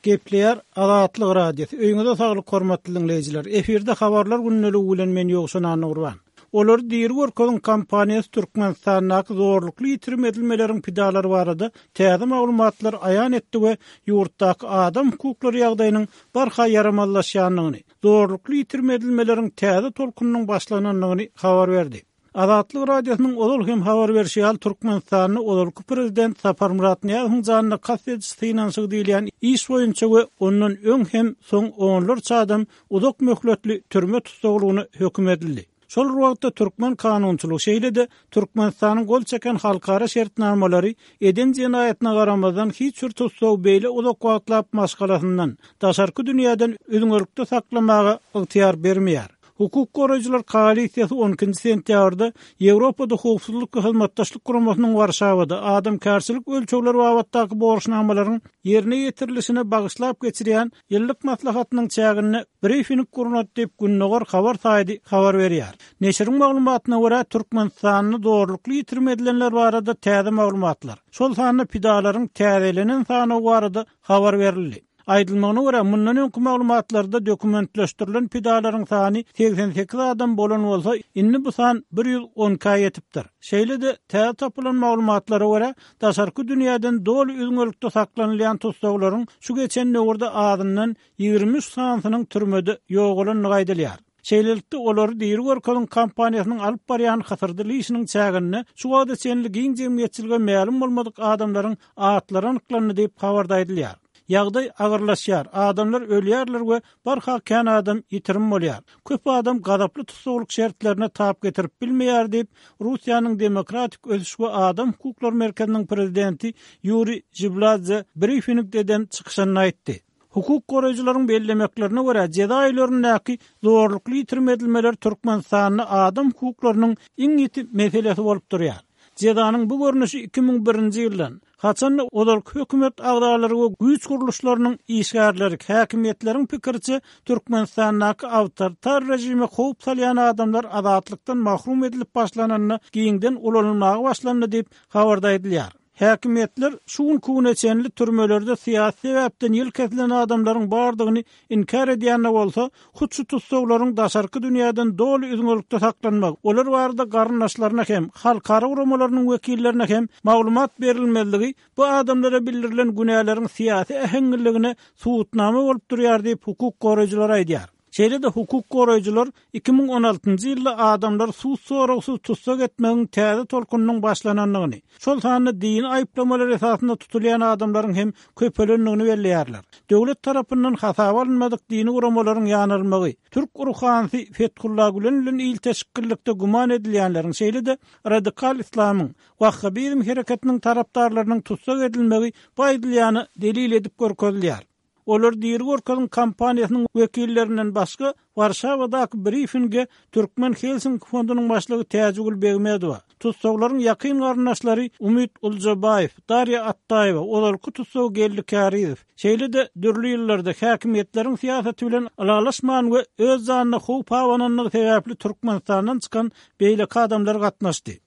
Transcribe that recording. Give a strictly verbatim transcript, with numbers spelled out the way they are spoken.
Gepleýär Azatlyk Radiosy. Öýüňize saglyk hormatly diňleýjiler. Efirde habarlar gündeligi bilen men Ýowşan Annagurban. Olary diri görkeziň kampaniýasy Türkmenistandaky zorlukly ýitirim edilmeleriň pidalary barada täze maglumatlar aýan etdi we ýurtdaky adam hukuklary ýagdaýynyň barha ýaramazlaşýandygyny, zorlukly ýitirim edilmeleriň täze tolkunynyň başlanandygyny habar berdi. Azatlyk Radiosynyň ozal hem habar berşi ýaly Türkmenistanda ozalky prezident Saparmyrat Nyýazowyň janyna kast ediş synanyşygy diýilýän iş boýunça we ondan öň hem soň onlarça adam uzak möhletli türme tussaglygyna höküm edildi. Şol bir wagtda türkmen kanunçylygy şeýle-de Türkmenistanyň gol çeken halkara şertnamalary eden jenaýatyna garamazdan hiç bir tussagy beýle uzak wagtlap maşgalasyndan, daşarky dünýäden üzňelikde saklamaga ygtyýar bermeýär. Hukuk goraýjylar koalisiýasy on ikinji sentýabrda Ýewropada Howpsuzlyk we Hyzmatdaşlyk Guramasynyň Warşawada adamkärçilik ölçegleri babatdaky borçnamalaryň ýerine ýetirilişine bagyşlap geçirýän ýyllyk maslahatynyň çäginde brifing gurnady diýip Gündogar habar saýty habar berýär. Neşiriň maglumatyna görä Türkmenistanda zorlukly ýitirim edilenler barada täze maglumatlar, şol sanda pidalaryň täzelenen sanawy barada habar berildi. Aýdylmagyna görä mundan öňki maglumatlarda dokumentleşdirilen pidalaryň sany seksen sekiz adam bolan bolsa, indi bu san bir ýüz on ikä ýetipdir. Şeýle-de täze tapylan maglumatlara görä daşarky dünýäden doly üzňelikde saklanylýan tussaglaryň şu geçen döwürde azyndan ýigrimi üç sanysynyň türmede ýogalandygy aýdylýar. Şeýlelikde olary diri görkeziň kampaniýasynyň alyp barýan hysyrdyly işiniň çäginde şu wagta çenli giň jemgyýetçilige mälim bolmadyk adamlaryň atlary anyklandy diýip habarda aýdylýar. Ýagdaý agyrlaşýar, adamlar ölýärler we barha kän adam ýitirim bolýar. Köp adam gazaply tussaglyk şertlerine tap getirip bilmeýär diýip, Russiýanyň Demokratik ösüş we adam hukuklary merkeziniň prezidenti Ýuriý Jibladze brifingde eden çykyşynda aýtdy. Hukuk goraýjylaryň bellemeklerine görä jeza öýlerindäki zorlukly ýitirim edilmeler Türkmenistanda adam hukuklarynyň iň ýiti meselesi bolup durýar. Jezanyň bu görnüşi iki müň birinji ýyldan, haçanda ozalky hökümet agzalary we güýç gurluşlarynyň işgärleri, häkimiýetleriň pikiriçe Türkmenistandaky awtoritar rejime howp salýan adamlar azatlykdan mahrum edilip başlananda giňden ulanylmaga başlandy diýip habarda aýdylýar. Häkimiýetler şu günkü güne çenli türmelerde syýasy sebäpden ýyl kesilen adamlaryň bardygyny inkär edýän bolsa, hut şu tussaglaryň daşarky dünýäden doly üzňelikde saklanmak, olar barada garyndaşlaryna hem, halkara guramalarynyň wekillerine hem maglumat berilmezligi bu adamlara bildirilen günäleriň syýasy äheňliligine subutnama bolup durýar diýip hukuk goraýjylar aýdýar. Şeýle-de hukuk goraýjylar iki müň on altynjy ýylda adamlar sud soragsyz tussag etmegiň täze tolkunynyň başlanandygyny, şol sanda dini aýyplamalar esasynda tutulýan adamlaryň hem köpelendigini belleýärler. Döwlet tarapyndan hasaba alynmadyk dini guramalaryň ýanalmagy, türk ruhanysy Fethullah Gülen bilen ilteşiklilikde güman edilýänleriň, şeýle-de radikal islamyň, Wahhabizm hereketiniň tarapdarlarynyň tussag edilmegi bu aýdylýany delil edip görkezilýär. Olar diri görkeziň kampaniýasynyň wekillerinden başga Warşawadaky brifinge Türkmen Helsinki fondunyň başlygy Täjigül Begmedowa, tussaglaryň ýakyn garyndaşlary Umyt Uljabaýew, Darýa Attaýewa, ozalky tussag Geldi Kärizow, şeýle-de dürli ýyllarda häkimiýetleriň syýasaty bilen ylalaşman we öz janyna howp abanandygy sebäpli Türkmenistandan çykan beýleki adamlar gatnaşdy.